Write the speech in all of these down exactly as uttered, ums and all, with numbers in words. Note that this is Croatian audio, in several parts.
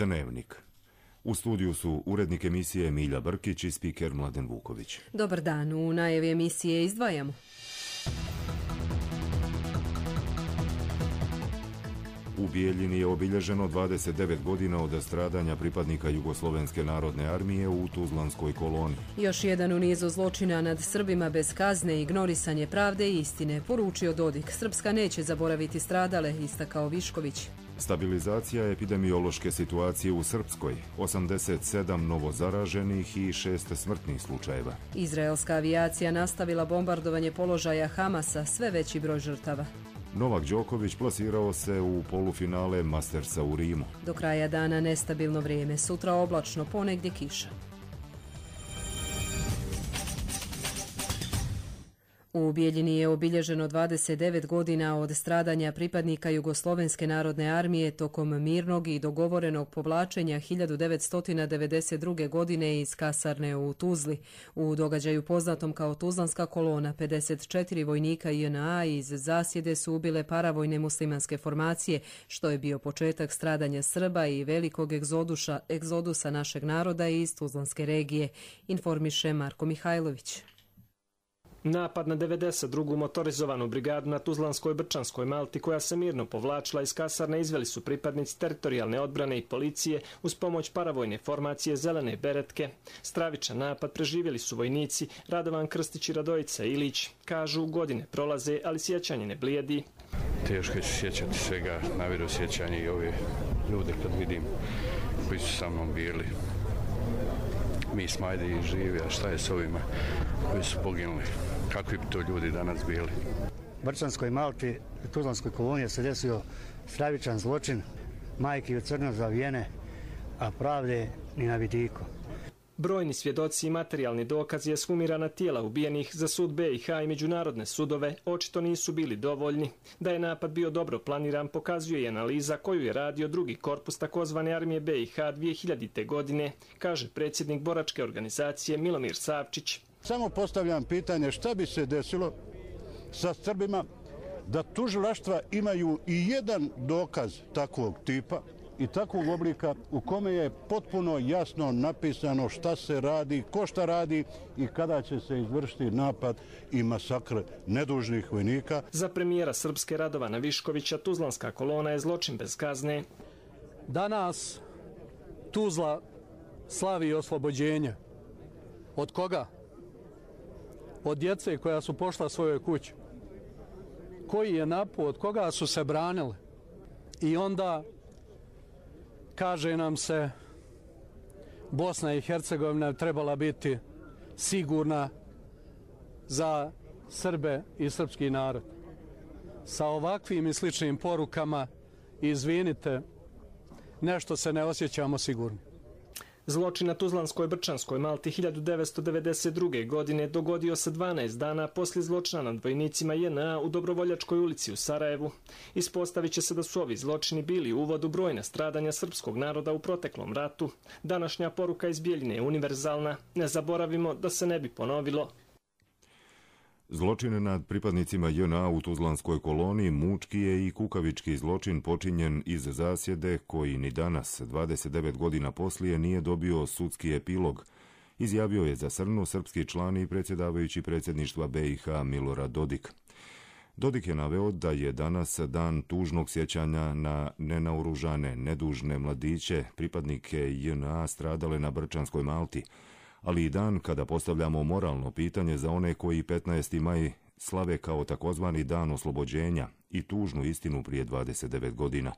Dnevnik. U studiju su urednik emisije Milja Brkić i spiker Mladen Vuković. Dobar dan, u najavi emisije izdvajamo. U Bijeljini je obilježeno dvadeset devet godina od stradanja pripadnika Jugoslovenske narodne armije u Tuzlanskoj koloni. Još jedan u nizu zločina nad Srbima bez kazne, ignorisanje pravde i istine, poručio Dodik. Srpska neće zaboraviti stradale, istakao Višković. Stabilizacija epidemiološke situacije u Srpskoj, osamdeset sedam novozaraženih i šest smrtnih slučajeva. Izraelska avijacija nastavila bombardovanje položaja Hamasa, sve veći broj žrtava. Novak Đoković plasirao se u polufinale Mastersa u Rimu. Do kraja dana nestabilno vrijeme, sutra oblačno, ponegdje kiša. U Bijeljini je obilježeno dvadeset devet godina od stradanja pripadnika Jugoslovenske narodne armije tokom mirnog i dogovorenog povlačenja hiljadu devetsto devedeset druge. godine iz kasarne u Tuzli. U događaju poznatom kao Tuzlanska kolona, pedeset četiri vojnika J N A iz zasjede su ubile paravojne muslimanske formacije, što je bio početak stradanja Srba i velikog egzoduša, egzodusa našeg naroda iz Tuzlanske regije, informiše Marko Mihajlović. Napad na devedeset drugu motorizovanu brigadu na Tuzlanskoj Brčanskoj Malti, koja se mirno povlačila iz kasarne, izveli su pripadnici teritorijalne odbrane i policije uz pomoć paravojne formacije Zelene beretke. Stravičan napad preživjeli su vojnici Radovan Krstić i Radojica Ilić. Kažu, godine prolaze, ali sjećanje ne blijedi. Teško je se sjećati svega, naviru sjećanje i ove ljude kad vidim koji su sa mnom bili. Mi smo ajde i živi, a šta je s ovima koji su poginuli? Kakvi bi to ljudi danas bili? U Brčanskoj Malti, u Tuzlanskoj koloniji se desio stravičan zločin, majke u crno zavijene, a pravde ni na vidiku. Brojni svjedoci i materijalni dokazi ekshumirana tijela ubijenih za sud B i H i međunarodne sudove očito nisu bili dovoljni. Da je napad bio dobro planiran pokazuje i analiza koju je radio drugi korpus takozvane armije B i H dvije hiljadite. godine, kaže predsjednik boračke organizacije Milomir Savčić. Samo postavljam pitanje šta bi se desilo sa Srbima da tužilaštva imaju i jedan dokaz takvog tipa i takvog oblika u kome je potpuno jasno napisano šta se radi, ko šta radi i kada će se izvršiti napad i masakr nedužnih vojnika. Za premijera Srpske Radovana Viškovića Tuzlanska kolona je zločin bez kazne. Danas Tuzla slavi oslobođenje. Od koga? Od djece koja su pošla svojoj kući. Koji je napao, od koga su se branili? I onda kaže nam se Bosna i Hercegovina trebala biti sigurna za Srbe i srpski narod. Sa ovakvim i sličnim porukama, izvinite, nešto se ne osjećamo sigurni. Zločin na Tuzlanskoj Brčanskoj Malti hiljadu devetsto devedeset druge. godine dogodio se dvanaest dana poslije zločina nad vojnicima J N A u Dobrovoljačkoj ulici u Sarajevu. Ispostavit će se da su ovi zločini bili uvod u brojna stradanja srpskog naroda u proteklom ratu. Današnja poruka iz Bijeljine je univerzalna. Ne zaboravimo da se ne bi ponovilo. Zločin nad pripadnicima J N A u Tuzlanskoj koloniji mučki je i kukavički zločin počinjen iz zasjede koji ni danas, dvadeset devet godina poslije, nije dobio sudski epilog, izjavio je za Srnu srpski član i predsjedavajući predsjedništva B i H Milorad Dodik. Dodik je naveo da je danas dan tužnog sjećanja na nenaoružane, nedužne mladiće, pripadnike J N A stradale na Brčanskoj Malti, ali i dan kada postavljamo moralno pitanje za one koji petnaesti maj slave kao takozvani dan oslobođenja i tužnu istinu prije dvadeset devet godina.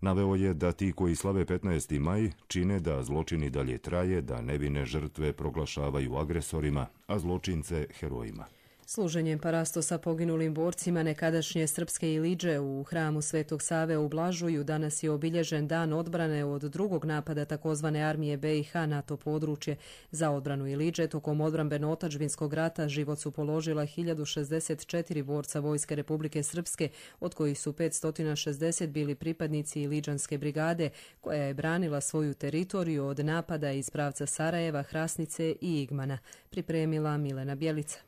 Naveo je da ti koji slave petnaesti maj čine da zločini dalje traje, da nevine žrtve proglašavaju agresorima, a zločince herojima. Služenjem parastosa poginulim borcima nekadašnje srpske Iliđe u hramu Svetog Save u Blažuju danas je obilježen dan odbrane od drugog napada takozvane armije B i H na to područje. Za odbranu Iliđe tokom odbrambeno-otadžbinskog rata život su položila hiljadu šezdeset četiri borca Vojske Republike Srpske, od kojih su petsto šezdeset bili pripadnici Iliđanske brigade, koja je branila svoju teritoriju od napada iz pravca Sarajeva, Hrasnice i Igmana. Pripremila Milena Bjelica.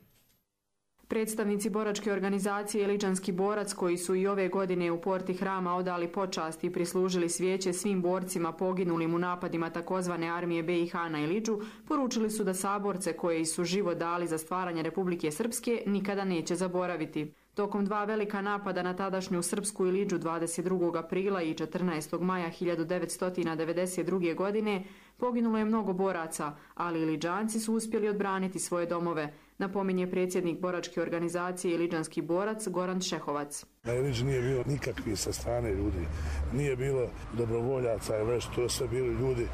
Predstavnici boračke organizacije Iliđanski borac, koji su i ove godine u porti Hrama odali počast i prislužili svijeće svim borcima poginulim u napadima takozvane armije be i ha na Iliđu, poručili su da saborce koji su život dali za stvaranje Republike Srpske nikada neće zaboraviti. Tokom dva velika napada na tadašnju srpsku Iliđu dvadeset drugog aprila i četrnaestog maja hiljadu devetsto devedeset druge. godine poginulo je mnogo boraca, ali Iliđanci su uspjeli odbraniti svoje domove, napominje predsjednik boračke organizacije Iliđanski borac Goran Šehovac. Na Iliđi nije bilo nikakvih sa strane ljudi, nije bilo dobrovoljaca, već to sve bili ljudi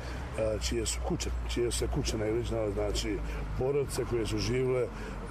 čije su kuće, čije se kuće na Iliđi, znači porodice koje su živile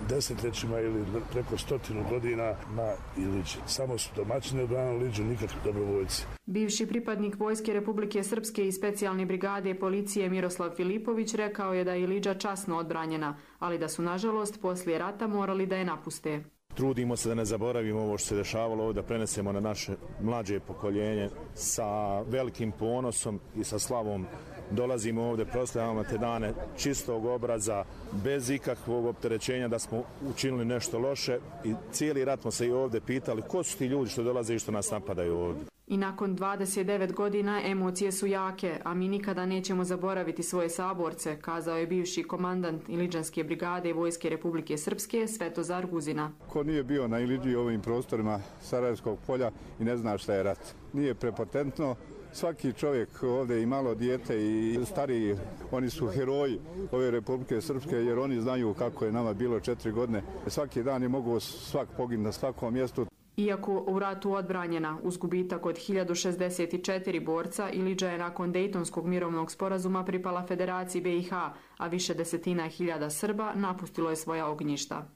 desetljećima ili preko stotinu godina na Iliđi. Samo su domaćini odbranili Iliđu, nikakvi dobrovoljci. Bivši pripadnik Vojske Republike Srpske i specijalne brigade policije Miroslav Filipović rekao je da je Iliđa časno odbranjena, ali da su nažalost poslije rata morali da je napuste. Trudimo se da ne zaboravimo ovo što se dešavalo ovdje, da prenesemo na naše mlađe pokoljenje sa velikim ponosom i sa slavom. Dolazimo ovdje, proslavljamo te dane čistog obraza, bez ikakvog opterećenja da smo učinili nešto loše i cijeli rat smo se i ovdje pitali ko su ti ljudi što dolaze i što nas napadaju ovdje. I nakon dvadeset devet godina emocije su jake, a mi nikada nećemo zaboraviti svoje saborce, kazao je bivši komandant Iliđanske brigade Vojske Republike Srpske Svetozar Guzina. Ko nije bio na Iliđi ovim prostorima Sarajevskog polja i ne zna šta je rat. Nije prepotentno. Svaki čovjek ovdje i malo dijete i stariji, oni su heroji ove Republike Srpske jer oni znaju kako je nama bilo četiri godine. Svaki dan je mogu svak poginuti na svakom mjestu. Iako u ratu odbranjena uz gubitak od hiljadu šezdeset četiri borca, Iliđa je nakon Dejtonskog mirovnog sporazuma pripala Federaciji be i ha, a više desetina hiljada Srba napustilo je svoja ognjišta.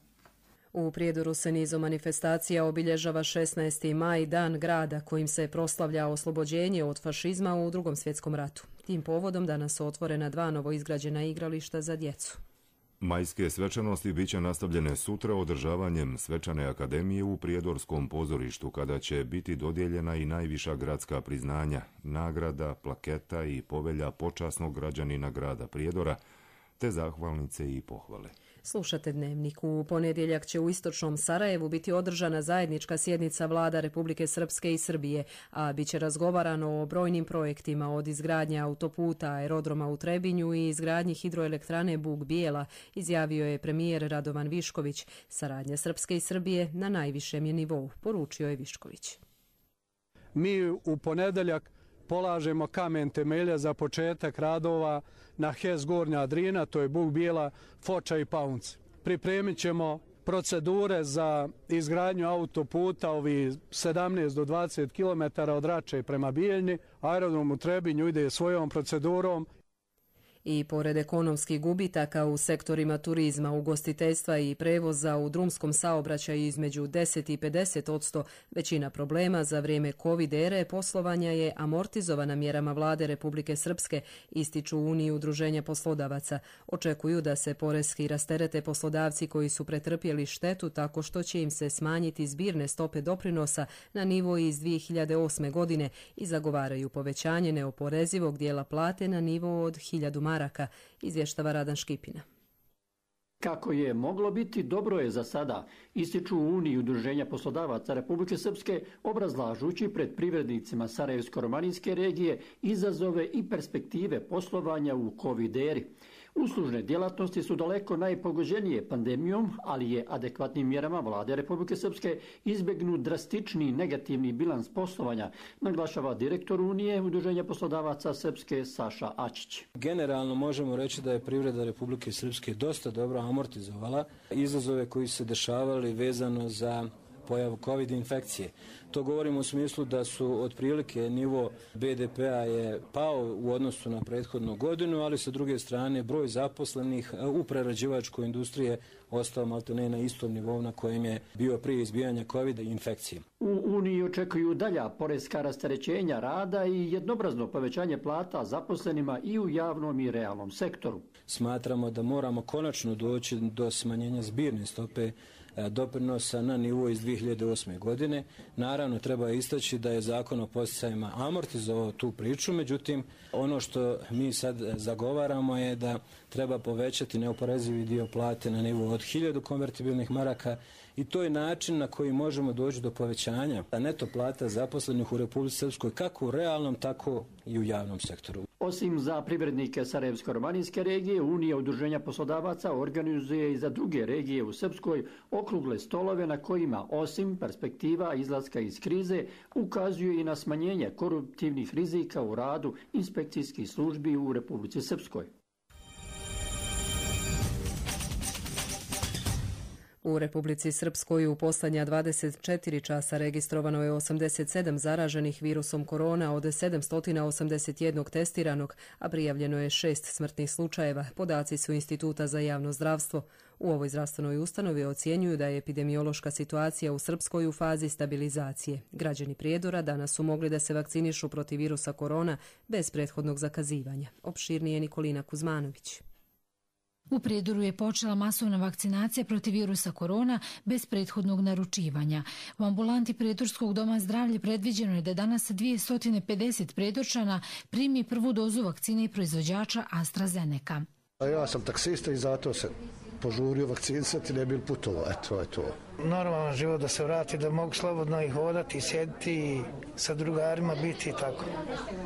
U Prijedoru se nizom manifestacija obilježava šesnaesti maj, dan grada kojim se proslavlja oslobođenje od fašizma u Drugom svjetskom ratu. Tim povodom danas su otvorena dva novoizgrađena igrališta za djecu. Majske svečanosti biće nastavljene sutra održavanjem svečane akademije u Prijedorskom pozorištu, kada će biti dodijeljena i najviša gradska priznanja, nagrada, plaketa i povelja počasnog građanina grada Prijedora, te zahvalnice i pohvale. Slušate Dnevnik. U ponedjeljak će u istočnom Sarajevu biti održana zajednička sjednica vlada Republike Srpske i Srbije, a bit će razgovarano o brojnim projektima od izgradnje autoputa, aerodroma u Trebinju i izgradnji hidroelektrane Bug Bijela, izjavio je premijer Radovan Višković. Saradnja Srpske i Srbije na najvišem je nivou, poručio je Višković. Mi u ponedeljak polažemo kamen temelja za početak radova na H E S Gornja Drina, to je Bug Bijela, Foča i Paunci. Pripremit ćemo procedure za izgradnju autoputa, ovi sedamnaest do dvadeset kilometara od Rače prema Bijeljni. Aerodrom u Trebinju ide svojom procedurom. I pored ekonomskih gubitaka u sektorima turizma, ugostiteljstva i prevoza u drumskom saobraćaju između deset i pedeset odsto, većina problema za vrijeme COVID ere poslovanja je amortizovana mjerama vlade Republike Srpske, ističu Uniji udruženja poslodavaca. Očekuju da se poreski rasterete poslodavci koji su pretrpjeli štetu tako što će im se smanjiti zbirne stope doprinosa na nivo iz dvije hiljade osme. godine i zagovaraju povećanje neoporezivog dijela plate na nivo od hiljadu maraka, izvještava Radan Škipina. Kako je moglo biti, dobro je za sada, ističu u Uniji udruženja poslodavaca Republike Srpske, obrazlažući pred privrednicima Sarajevsko-romaninske regije izazove i perspektive poslovanja u COVID eri. Uslužne djelatnosti su daleko najpogođenije pandemijom, ali je adekvatnim mjerama vlade Republike Srpske izbjegnut drastični negativni bilans poslovanja, naglašava direktor Unije udruženja poslodavaca Srpske Saša Ačić. Generalno možemo reći da je privreda Republike Srpske dosta dobro amortizovala izazove koji se dešavali vezano za pojavu COVID infekcije. To govorimo u smislu da su otprilike nivo be de pe a je pao u odnosu na prethodnu godinu, ali sa druge strane broj zaposlenih u prerađivačkoj industriji ostao maltene na istom nivou na kojem je bio prije izbijanja COVID infekcije. U Uniji očekuju dalja poreska rasterećenja rada i jednobrazno povećanje plata zaposlenima i u javnom i realnom sektoru. Smatramo da moramo konačno doći do smanjenja zbirne stope doprinosa na nivo iz dvije hiljade osme. godine. Naravno, treba istaći da je Zakon o podsticajima amortizovao tu priču, međutim, ono što mi sad zagovaramo je da treba povećati neoporezivi dio plate na nivo od hiljadu konvertibilnih maraka i to je način na koji možemo doći do povećanja neto plata zaposlenih u Republici Srpskoj kako u realnom, tako i u javnom sektoru. Osim za privrednike Sarajevsko-romanijske regije, Unija udruženja poslodavaca organizuje i za druge regije u Srpskoj okrugle stolove na kojima, osim perspektiva izlaska iz krize, ukazuju i na smanjenje koruptivnih rizika u radu inspekcijskih službi u Republici Srpskoj. U Republici Srpskoj u posljednja dvadeset četiri časa registrovano je osamdeset sedam zaraženih virusom korona od sedamsto osamdeset jedan testiranog, a prijavljeno je šest smrtnih slučajeva. Podaci su Instituta za javno zdravstvo. U ovoj zdravstvenoj ustanovi ocjenjuju da je epidemiološka situacija u Srpskoj u fazi stabilizacije. Građani Prijedora danas su mogli da se vakcinišu protiv virusa korona bez prethodnog zakazivanja. Opširnije Nikolina Kuzmanović. U Prijedoru je počela masovna vakcinacija protiv virusa korona bez prethodnog naručivanja. U ambulanti Prijedorskog doma zdravlja predviđeno je da danas dvjesto pedeset Prijedorčana primi prvu dozu vakcine i proizvođača AstraZeneca. Ja sam taksista i zato se požurio vakcinisati, ne bil putovao. Eto je to. Normalan život da se vrati, da mogu slobodno i hodati, i sjediti i sa drugarima biti i tako.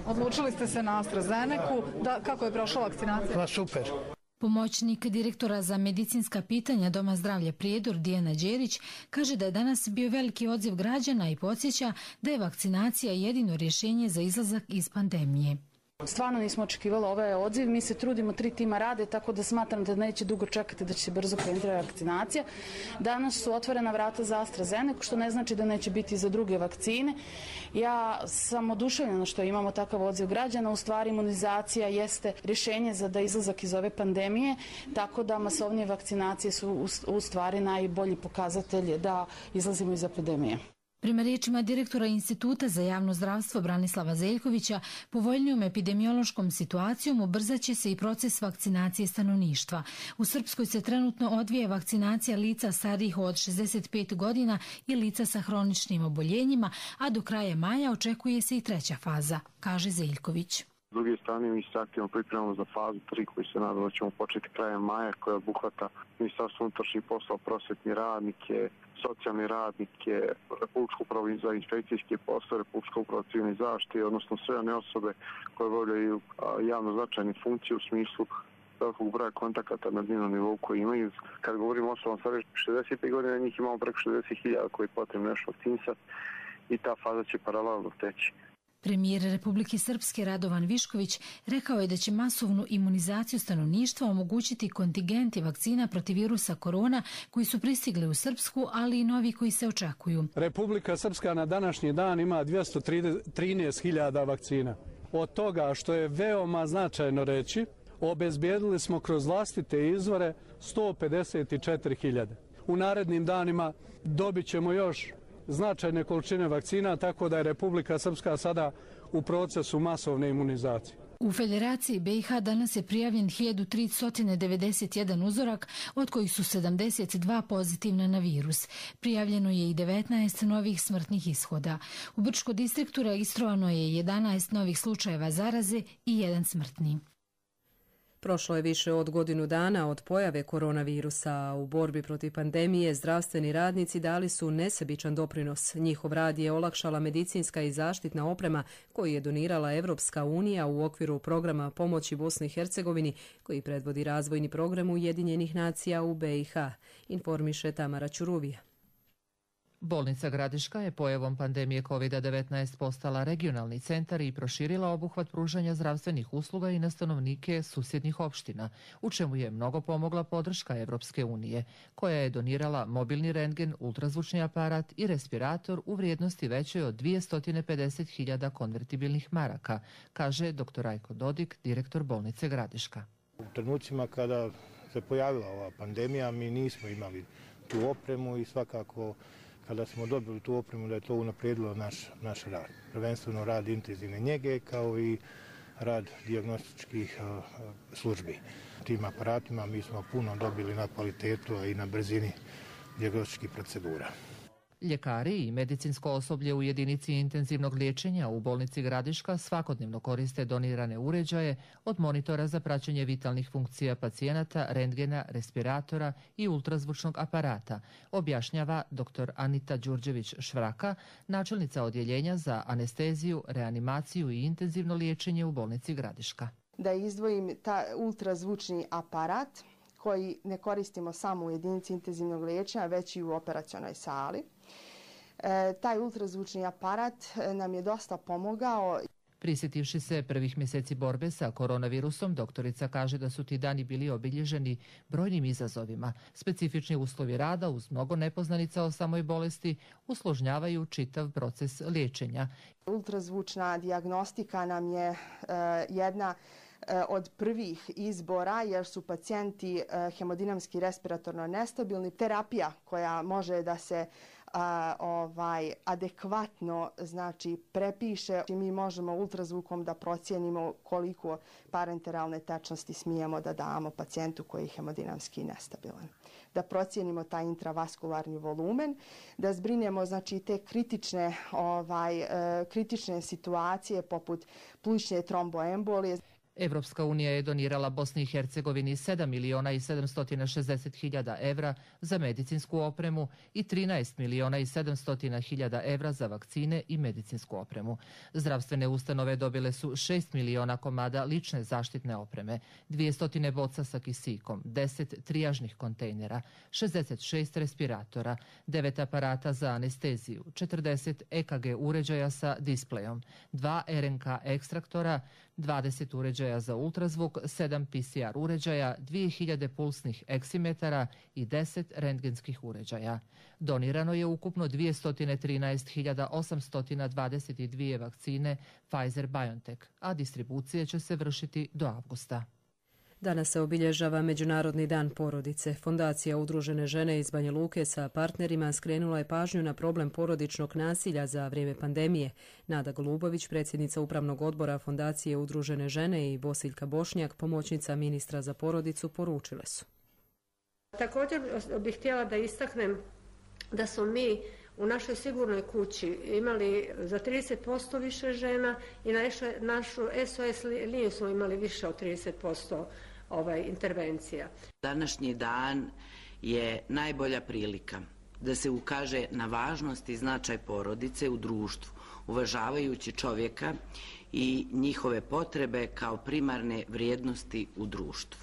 Odlučili ste se na AstraZenecu. Da, kako je prošla vakcinacija? Pa super. Pomoćnik direktora za medicinska pitanja Doma zdravlja Prijedor Dijana Đerić kaže da je danas bio veliki odziv građana i podsjeća da je vakcinacija jedino rješenje za izlazak iz pandemije. Stvarno nismo očekivali ovaj odziv, mi se trudimo, tri tima rade, tako da smatram da neće dugo čekati, da će se brzo krenuti vakcinacija. Danas su otvorena vrata za AstraZeneca, što ne znači da neće biti za druge vakcine. Ja sam oduševljena što imamo takav odziv građana, u stvari imunizacija jeste rješenje za da izlazak iz ove pandemije, tako da masovnije vakcinacije su u stvari najbolji pokazatelj da izlazimo iz epidemije. Prema riječima direktora Instituta za javno zdravstvo Branislava Zeljkovića, povoljnijom epidemiološkom situacijom ubrzaće se i proces vakcinacije stanovništva. U Srpskoj se trenutno odvija vakcinacija lica starijih od šezdeset pet godina i lica sa hroničnim oboljenjima, a do kraja maja očekuje se i treća faza, kaže Zeljković. S druge strane, mi se aktivno pripremamo za fazu tri koju se nadamo da ćemo početi krajem maja, koja obuhvata Ministarstvo unutrašnjih poslova, prosvetni radnike, socijalni radnike, Republičku upravu za inspekcijske poslove, Republičku upravu civilne zaštite, odnosno sve one osobe koje obavljaju javno značajne funkcije u smislu velikog broja kontakata na dnevnom nivou koji imaju. Kad govorimo o osobama starije šezdeset pet godina, njih imamo preko šezdeset hiljada koji je potrebno nešto vakcinisati i ta faza će paralelno teći. Premijer Republike Srpske Radovan Višković rekao je da će masovnu imunizaciju stanovništva omogućiti kontingenti vakcina protiv virusa korona koji su pristigli u Srpsku, ali i novi koji se očekuju. Republika Srpska na današnji dan ima dvjesto trinaest hiljada vakcina. Od toga, što je veoma značajno reći, obezbijedili smo kroz vlastite izvore sto pedeset četiri hiljade. U narednim danima dobit ćemo još značajne količine vakcina, tako da je Republika Srpska sada u procesu masovne imunizacije. U Federaciji B i H danas je prijavljen hiljadu tristo devedeset jedan uzorak, od kojih su sedamdeset dva pozitivna na virus. Prijavljeno je i devetnaest novih smrtnih ishoda. U Brčkom distriktu registrovano je jedanaest novih slučajeva zaraze i jedan smrtni. Prošlo je više od godinu dana od pojave koronavirusa, a u borbi protiv pandemije zdravstveni radnici dali su nesebičan doprinos. Njihov rad je olakšala medicinska i zaštitna oprema koju je donirala Evropska unija u okviru programa pomoći Bosni i Hercegovini, koji predvodi razvojni program Ujedinjenih nacija u B i H, informiše Tamara Ćuruvija. Bolnica Gradiška je pojavom pandemije kovid devetnaest postala regionalni centar i proširila obuhvat pružanja zdravstvenih usluga i na stanovnike susjednih opština, u čemu je mnogo pomogla podrška Evropske unije, koja je donirala mobilni rentgen, ultrazvučni aparat i respirator u vrijednosti većoj od dvjesto pedeset hiljada konvertibilnih maraka, kaže doktor Rajko Dodik, direktor bolnice Gradiška. U trenucima kada se pojavila ova pandemija, mi nismo imali tu opremu i svakako kada smo dobili tu opremu da je to unaprijedilo naš, naš rad. Prvenstveno rad intenzivne njege kao i rad dijagnostičkih uh, službi. Tim aparatima mi smo puno dobili na kvalitetu i na brzini dijagnostičkih procedura. Ljekari i medicinsko osoblje u jedinici intenzivnog liječenja u bolnici Gradiška svakodnevno koriste donirane uređaje od monitora za praćenje vitalnih funkcija pacijenata, rentgena, respiratora i ultrazvučnog aparata, objašnjava dr. Anita Đurđević-Švraka, načelnica odjeljenja za anesteziju, reanimaciju i intenzivno liječenje u bolnici Gradiška. Da izdvojim ta ultrazvučni aparat koji ne koristimo samo u jedinici intenzivnog liječenja, već i u operacionoj sali. E, taj ultrazvučni aparat nam je dosta pomogao. Prisjetivši se prvih mjeseci borbe sa koronavirusom, doktorica kaže da su ti dani bili obilježeni brojnim izazovima. Specifični uslovi rada uz mnogo nepoznanica o samoj bolesti usložnjavaju čitav proces liječenja. Ultrazvučna dijagnostika nam je e, jedna od prvih izbora jer su pacijenti hemodinamski respiratorno nestabilni. Terapija koja može da se a, ovaj, adekvatno znači, prepiše. Mi možemo ultrazvukom da procijenimo koliko parenteralne tečnosti smijemo da damo pacijentu koji je hemodinamski nestabilan. Da procijenimo taj intravaskularni volumen, da zbrinemo znači, te kritične, ovaj, kritične situacije poput plućne tromboembolije. Evropska unija je donirala Bosni i Hercegovini sedam miliona i sedamsto šezdeset hiljada evra za medicinsku opremu i trinaest miliona i sedamsto hiljada evra za vakcine i medicinsku opremu. Zdravstvene ustanove dobile su šest miliona komada lične zaštitne opreme, dvjesto boca sa kisikom, deset trijažnih kontejnera, šezdeset šest respiratora, devet aparata za anesteziju, četrdeset E K G uređaja sa displejom, dva R N K ekstraktora, dvadeset uređaja za ultrazvuk, sedam P C R uređaja, dvije hiljade pulsnih eksimetara i deset rentgenskih uređaja. Donirano je ukupno dvjesto trinaest hiljada osamsto dvadeset dvije vakcine Pfizer-BioNTech, a distribucije će se vršiti do avgusta. Danas se obilježava Međunarodni dan porodice. Fondacija Udružene žene iz Banja Luke sa partnerima skrenula je pažnju na problem porodičnog nasilja za vrijeme pandemije. Nada Golubović, predsjednica Upravnog odbora Fondacije Udružene žene, i Bosiljka Bošnjak, pomoćnica ministra za porodicu, poručile su. Također bih htjela da istaknem da smo mi u našoj sigurnoj kući imali za trideset posto više žena i na našu S O S liniju smo imali više od trideset posto ovaj, intervencija. Današnji dan je najbolja prilika da se ukaže na važnost i značaj porodice u društvu, uvažavajući čovjeka i njihove potrebe kao primarne vrijednosti u društvu.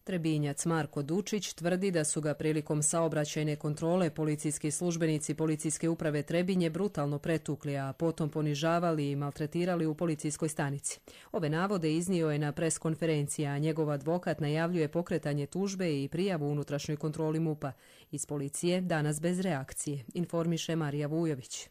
Trebinjac Marko Dučić tvrdi da su ga prilikom saobraćajne kontrole policijski službenici Policijske uprave Trebinje brutalno pretukli, a potom ponižavali i maltretirali u policijskoj stanici. Ove navode iznio je na pres konferenciji, a njegov advokat najavljuje pokretanje tužbe i prijavu unutrašnjoj kontroli MUP-a. Iz policije danas bez reakcije, informiše Marija Vujović.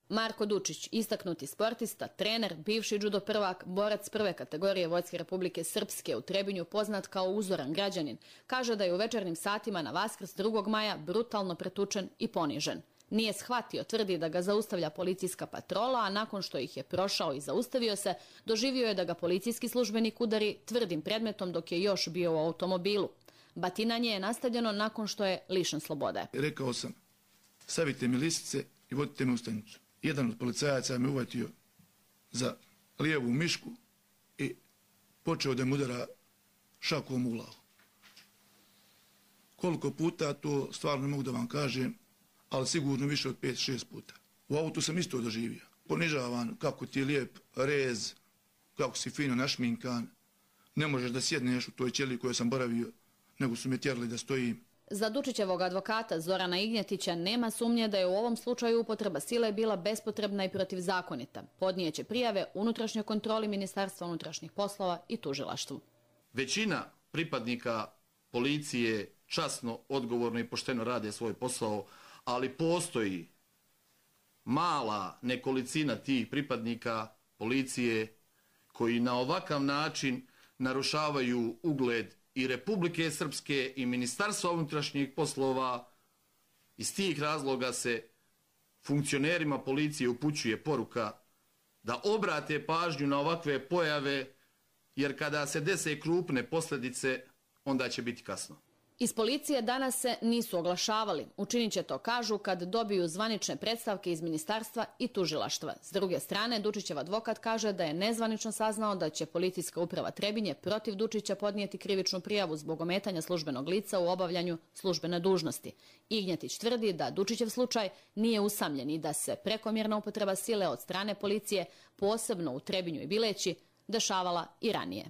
Marko Dučić, istaknuti sportista, trener, bivši judo prvak, borac prve kategorije Vojske Republike Srpske u Trebinju, poznat kao uzoran građanin, kaže da je u večernjim satima na Vaskrs drugog maja brutalno pretučen i ponižen. Nije shvatio, tvrdi da ga zaustavlja policijska patrola, a nakon što ih je prošao i zaustavio se, doživio je da ga policijski službenik udari tvrdim predmetom dok je još bio u automobilu. Batinanje je nastavljeno nakon što je lišen slobode. Rekao sam, stavite mi lisice i vodite me u stanicu. Jedan od policajaca me uvatio za lijevu mišku i počeo da mu udara šakom u glavu. Koliko puta, to stvarno ne mogu da vam kažem, ali sigurno više od pet šest puta. U autu sam isto doživio. Ponižavan, kako ti je lijep rez, kako si fino našminkan. Ne možeš da sjedneš u toj ćeliji kojoj sam boravio, nego su me tjerali da stojim. Za Dučićevog advokata Zorana Ignjetića nema sumnje da je u ovom slučaju upotreba sile bila bespotrebna i protivzakonita. Podnijeće prijave unutrašnjoj kontroli Ministarstva unutrašnjih poslova i tužilaštvu. Većina pripadnika policije časno, odgovorno i pošteno rade svoj posao, ali postoji mala nekolicina tih pripadnika policije koji na ovakav način narušavaju ugled i Republike Srpske i Ministarstva unutrašnjih poslova. Iz tih razloga se funkcionerima policije upućuje poruka da obrate pažnju na ovakve pojave, jer kada se dese krupne posljedice, onda će biti kasno. Iz policije danas se nisu oglašavali. Učinit će to, kažu, kad dobiju zvanične predstavke iz ministarstva i tužilaštva. S druge strane, Dučićev advokat kaže da je nezvanično saznao da će policijska uprava Trebinje protiv Dučića podnijeti krivičnu prijavu zbog ometanja službenog lica u obavljanju službene dužnosti. Ignjetić tvrdi da Dučićev slučaj nije usamljen i da se prekomjerna upotreba sile od strane policije, posebno u Trebinju i Bileći, dešavala i ranije.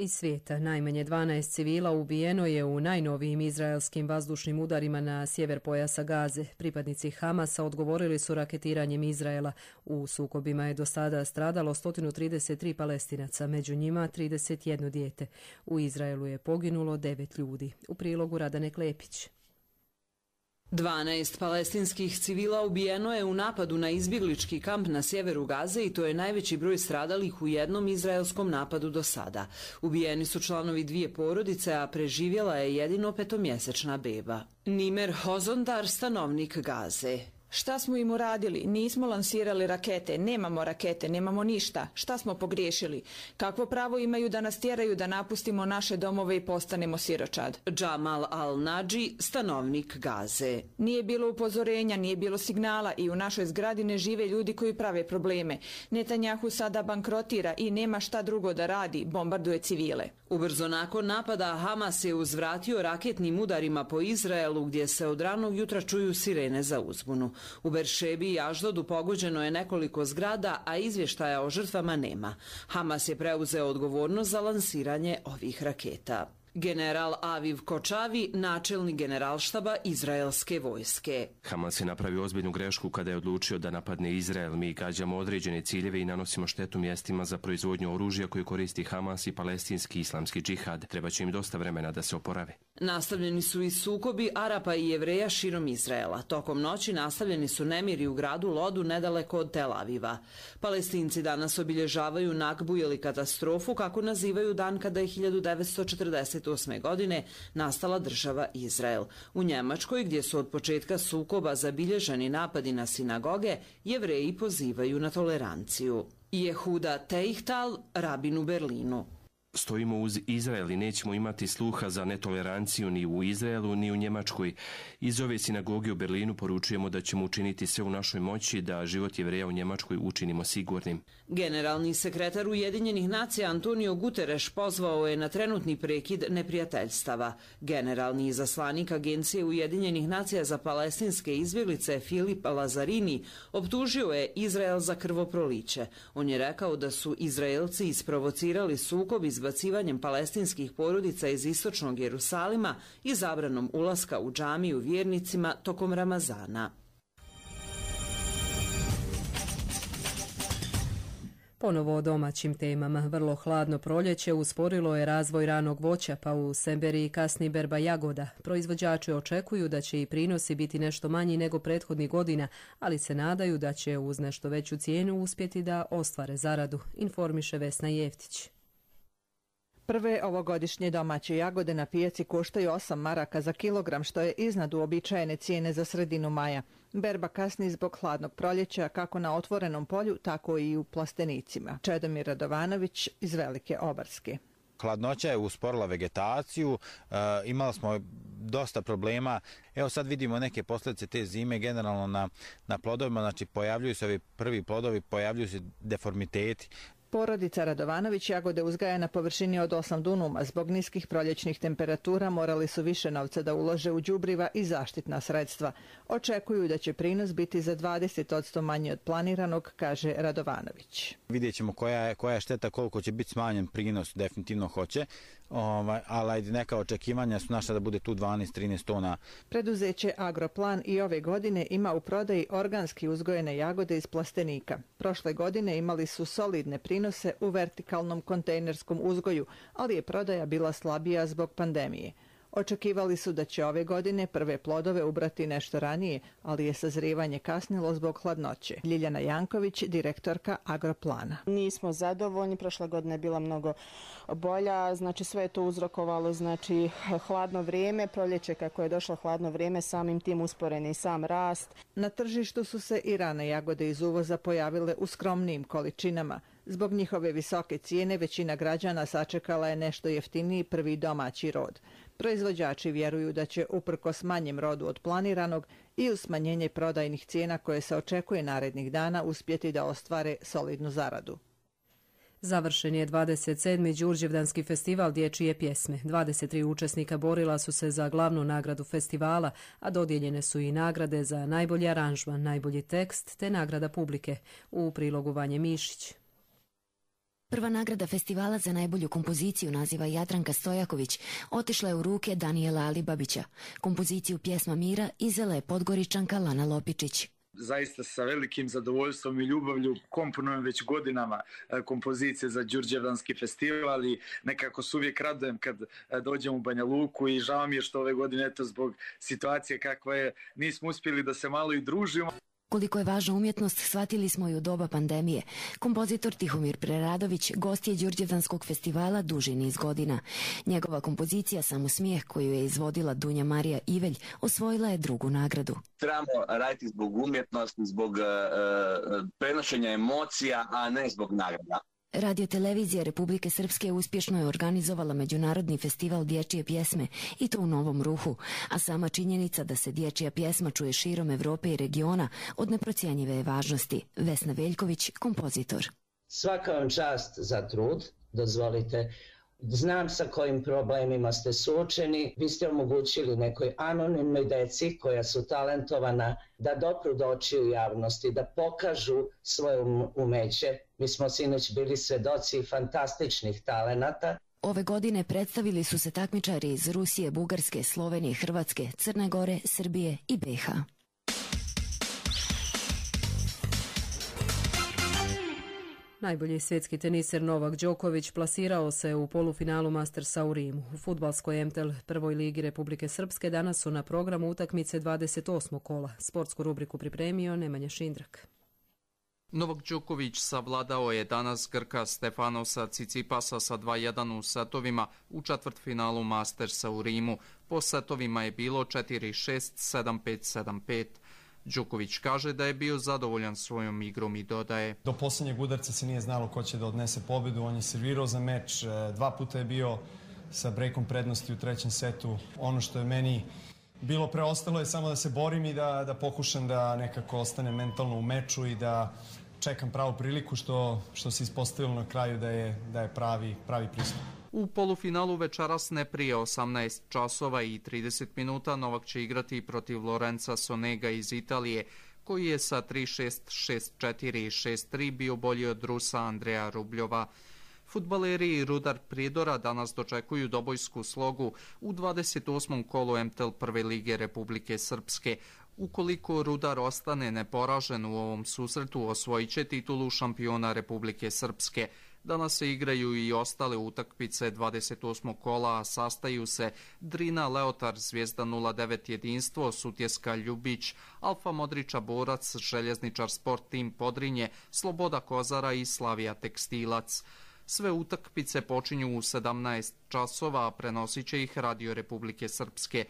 Iz svijeta najmanje dvanaest civila ubijeno je u najnovijim izraelskim vazdušnim udarima na sjever pojasa Gaze. Pripadnici Hamasa odgovorili su raketiranjem Izraela. U sukobima je do sada stradalo sto trideset tri Palestinaca, među njima trideset jedno dijete. U Izraelu je poginulo devet ljudi. U prilogu Radane Klepić. dvanaest palestinskih civila ubijeno je u napadu na izbjeglički kamp na sjeveru Gaze i to je najveći broj stradalih u jednom izraelskom napadu do sada. Ubijeni su članovi dvije porodice, a preživjela je jedino petomjesečna beba. Nimer Hozondar, stanovnik Gaze. Šta smo im uradili? Nismo lansirali rakete, nemamo rakete, nemamo ništa. Šta smo pogriješili? Kakvo pravo imaju da nas tjeraju da napustimo naše domove i postanemo siročad? Džamal Al-Nadži, stanovnik Gaze. Nije bilo upozorenja, nije bilo signala i u našoj zgradi ne žive ljudi koji prave probleme. Netanjahu sada bankrotira i nema šta drugo da radi, bombarduje civile. Ubrzo nakon napada Hamas je uzvratio raketnim udarima po Izraelu gdje se od ranog jutra čuju sirene za uzbunu. U Beršebi i Aždodu pogođeno je nekoliko zgrada, a izvještaja o žrtvama nema. Hamas je preuzeo odgovornost za lansiranje ovih raketa. General Aviv Kočavi, načelnik generalštaba izraelske vojske. Hamas je napravio ozbiljnu grešku kada je odlučio da napadne Izrael. Mi gađamo određene ciljeve i nanosimo štetu mjestima za proizvodnju oružja koje koristi Hamas i palestinski islamski džihad. Treba će im dosta vremena da se oporave. Nastavljeni su i sukobi Arapa i Jevreja širom Izraela. Tokom noći nastavljeni su nemiri u gradu Lodu nedaleko od Tel Aviva. Palestinci danas obilježavaju Nakbu ili katastrofu, kako nazivaju dan kada je hiljadu devetsto četrdeset osme godine nastala država Izrael. U Njemačkoj, gdje su od početka sukoba zabilježeni napadi na sinagoge, Jevreji pozivaju na toleranciju. Jehuda Teichtal, rabin u Berlinu. Stojimo uz Izrael i nećemo imati sluha za netoleranciju ni u Izraelu ni u Njemačkoj. Iz ove sinagoge u Berlinu poručujemo da ćemo učiniti sve u našoj moći da život Jevreja u Njemačkoj učinimo sigurnim. Generalni sekretar Ujedinjenih nacija Antonio Guterres pozvao je na trenutni prekid neprijateljstava. Generalni izaslanik Agencije Ujedinjenih nacija za palestinske izbjeglice Filip Lazarini optužio je Izrael za krvoproliće. On je rekao da su Izraelci isprovocirali sukob izbacivanjem palestinskih porodica iz istočnog Jerusalima i zabranom ulaska u džamiju vjernicima tokom Ramazana. Ponovo o domaćim temama. Vrlo hladno proljeće usporilo je razvoj ranog voća, pa u Semberiji kasni berba jagoda. Proizvođači očekuju da će i prinosi biti nešto manji nego prethodnih godina, ali se nadaju da će uz nešto veću cijenu uspjeti da ostvare zaradu, informiše Vesna Jeftić. Prve ovogodišnje domaće jagode na pijaci koštaju osam maraka za kilogram, što je iznad uobičajene cijene za sredinu maja. Berba kasni zbog hladnog proljeća kako na otvorenom polju, tako i u plastenicima. Čedomir Radovanović iz Velike Obarske. Hladnoća je usporila vegetaciju, e, imali smo dosta problema. Evo sad vidimo neke posljedice te zime generalno na, na plodovima, znači pojavljuju se ovi prvi plodovi, pojavljuju se deformiteti. Porodica Radovanović jagode uzgaja na površini od osam dunuma. Zbog niskih proljećnih temperatura morali su više novca da ulože u đubriva i zaštitna sredstva. Očekuju da će prinos biti za dvadeset posto manji od planiranog, kaže Radovanović. Vidjet ćemo koja je, koja je šteta, koliko će biti smanjen prinos, definitivno hoće, ovaj, ali neka očekivanja su naša da bude tu dvanaest do trinaest tona. Preduzeće Agroplan i ove godine ima u prodaji organski uzgojene jagode iz plastenika. Prošle godine imali su solidne prinose u vertikalnom kontejnerskom uzgoju, ali je prodaja bila slabija zbog pandemije. Očekivali su da će ove godine prve plodove ubrati nešto ranije, ali je sazrijevanje kasnilo zbog hladnoće. Ljiljana Janković, direktorka Agroplana. Nismo zadovoljni, prošla godina je bila mnogo bolja, znači sve je to uzrokovalo, znači hladno vrijeme, proljeće kako je došlo hladno vrijeme, samim tim usporeni sam rast. Na tržištu su se i rane jagode iz uvoza pojavile u skromnijim količinama. Zbog njihove visoke cijene većina građana sačekala je nešto jeftiniji prvi domaći rod. Proizvođači vjeruju da će uprkos manjem rodu od planiranog i uz smanjenje prodajnih cijena koje se očekuje narednih dana uspjeti da ostvare solidnu zaradu. Završen je dvadeset sedmi Đurđevdanski festival dječje pjesme. dvadeset tri učesnika borila su se za glavnu nagradu festivala, a dodijeljene su i nagrade za najbolji aranžman, najbolji tekst te nagrada publike. U prilogu Vanje Mišić. Prva nagrada festivala za najbolju kompoziciju naziva Jadranka Stojaković otišla je u ruke Danijela Alibabića. Kompoziciju Pjesma mira izvela je Podgoričanka Lana Lopičić. Zaista sa velikim zadovoljstvom i ljubavlju komponujem već godinama kompozicije za Đurđevdanski festival i nekako se uvijek radujem kad dođem u Banja Luku i žao mi je što ove godine eto zbog situacije kakva je nismo uspjeli da se malo i družimo. Koliko je važna umjetnost shvatili smo i u doba pandemije. Kompozitor Tihomir Preradović gost je Đurđevdanskog festivala duži niz godina. Njegova kompozicija Samo smijeh, koju je izvodila Dunja Marija Ivelj, osvojila je drugu nagradu. Trebamo raditi zbog umjetnosti, zbog uh, prenošenja emocija, a ne zbog nagrada. Radiotelevizija Republike Srpske uspješno je organizovala Međunarodni festival dječje pjesme i to u Novom Ruhu, a sama činjenica da se dječja pjesma čuje širom Evrope i regiona od neprocjenjive je važnosti. Vesna Veljković, kompozitor. Svaka vam čast za trud, dozvolite. Znam sa kojim problemima ste suočeni. Vi ste omogućili nekoj anonimnoj deci koja su talentovana da dopru do očiju javnosti, da pokažu svoje umeće. Mi smo sinoć bili svedoci fantastičnih talenata. Ove godine predstavili su se takmičari iz Rusije, Bugarske, Slovenije, Hrvatske, Crne Gore, Srbije i B iH. Najbolji svjetski teniser Novak Đoković plasirao se u polufinalu Mastersa u Rimu. U fudbalskoj M T L prvoj ligi Republike Srpske danas su na programu utakmice dvadeset osmog kola. Sportsku rubriku pripremio Nemanja Šindrak. Novak Đoković savladao je danas Grka Stefanosa Cicipasa sa dva jedan u setovima u četvrtfinalu Mastersa u Rimu. Po setovima je bilo četiri šest, sedam pet, sedam pet. Đoković kaže da je bio zadovoljan svojom igrom i dodaje: do posljednjeg udarca se nije znalo ko će da odnese pobjedu, on je servirao za meč, dva puta je bio sa brekom prednosti u trećem setu. Ono što je meni bilo preostalo je samo da se borim i da, da pokušam da nekako ostane mentalno u meču i da čekam pravu priliku što, što se ispostavilo na kraju da je, da je pravi, pravi pristup. U polufinalu večeras ne prije osamnaest časova i trideset minuta Novak će igrati protiv Lorenza Sonega iz Italije, koji je sa tri šest, šest četiri i šest tri bio bolji od Rusa Andreja Rubljova. Fudbaleri i Rudar Prijedora danas dočekuju dobojsku slogu u dvadeset osmom kolu M T L prve lige Republike Srpske. Ukoliko Rudar ostane neporažen u ovom susretu, osvojit će titulu šampiona Republike Srpske. Danas se igraju i ostale utakmice dvadeset osmog kola, a sastaju se Drina Leotar, Zvijezda nula devet Jedinstvo, Sutjeska Ljubić, Alfa Modriča Borac, Željezničar Sport Tim Podrinje, Sloboda Kozara i Slavija Tekstilac. Sve utakmice počinju u sedamnaest časova, a prenosit će ih Radio Republike Srpske.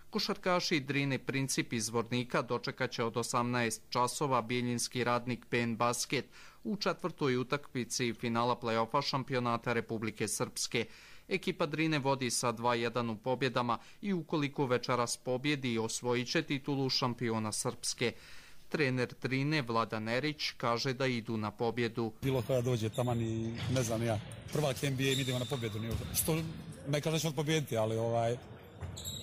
Košarkaši Drine Princip iz Zvornika dočekat će od osamnaest časova Bijeljinski Radnik P N Basket u četvrtoj utakmici finala play-offa šampionata Republike Srpske. Ekipa Drine vodi sa dva jedan u pobjedama i ukoliko večeras pobjedi, osvojit će titulu šampiona Srpske. Trener Drine Vladan Erić kaže da idu na pobjedu. Bilo kada dođe taman i ne znam ja, prvak N B A idemo na pobjedu. Što ne kaže da ćemo pobjediti, ali ovaj...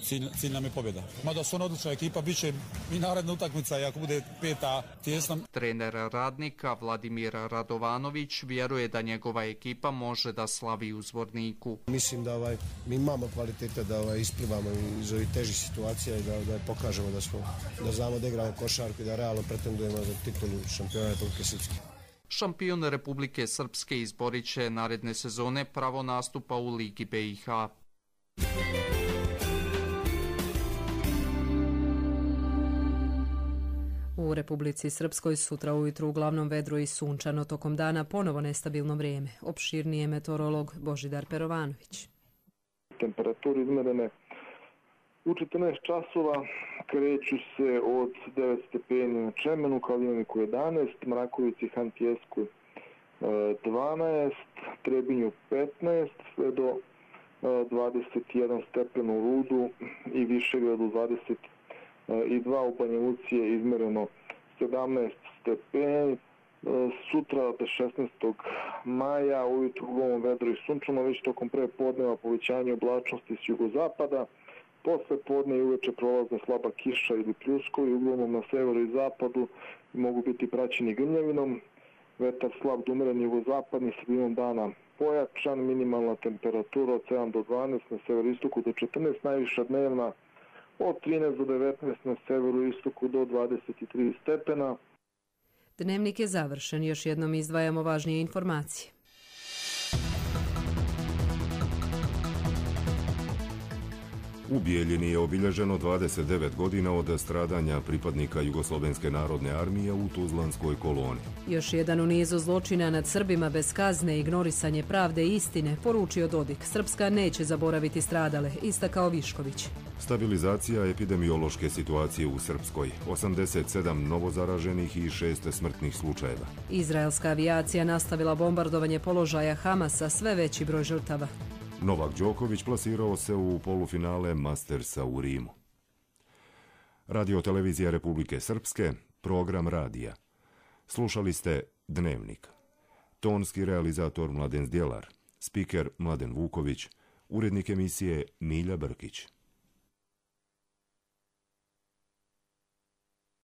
Cilj, cilj nam je pobjeda. Mada su ona odlična ekipa, bit će i naredna utakmica i ako bude peta tjesna. Trener Radnika Vladimir Radovanović vjeruje da njegova ekipa može da slavi u Zvorniku. Mislim da ovaj, mi imamo kvalitete da ovaj, isplivamo iz ovih težih situacija i da, da pokažemo da, smo, da znamo da igramo košarku i da realno pretendujemo za titulu šampiona Republike Srpske. Šampion Republike Srpske izborit će naredne sezone pravo nastupa u Ligi B iH. U Republici Srpskoj sutra ujutru uglavnom vedro i sunčano, tokom dana ponovo nestabilno vrijeme. Opširnije meteorolog Božidar Perovanović. Temperaturi izmerene u četrnaest časova kreću se od devet stepeni na Čemenu, Kaliniku jedanaest, Mrakovici, Hantijeskoj dvanaest, Trebinju petnaest, sve do dvadeset jedan stepen u Rudu i Višegradu dvadeset dva, u Banja Luci je izmereno sedamnaest stepeni. Sutra, šesnaestog maja, ujutru uglavnom vedro i sunčano, već tokom prepodneva povećanje oblačnosti s jugozapada. Posle podne i uveče prolazna slaba kiša ili pljuskovi, uglavnom na severu i zapadu mogu biti praćeni grmljavinom. Vetar slab do umeren jugozapadni, sredinom dana pojačan, minimalna temperatura od sedam do dvanaest, na severoistoku do četrnaest, najviša dnevna od trinaest do devetnaest, na severoistoku do dvadeset tri stepena. Dnevnik je završen, još jednom izdvajamo važnije informacije. U Bijeljini je obilježeno dvadeset devet godina od stradanja pripadnika Jugoslovenske narodne armije u Tuzlanskoj koloni. Još jedan u nizu zločina nad Srbima bez kazne, ignorisanje pravde i istine, poručio Dodik. Srpska neće zaboraviti stradale, istakao Višković. Stabilizacija epidemiološke situacije u Srpskoj, osamdeset sedam novozaraženih i šest smrtnih slučajeva. Izraelska avijacija nastavila bombardovanje položaja Hamasa, sve veći broj žrtava. Novak Đoković plasirao se u polufinale Mastersa u Rimu. Radio televizija Republike Srpske, program radija. Slušali ste Dnevnik. Tonski realizator Mladen Zdjelar, spiker Mladen Vuković, urednik emisije Milja Brkić.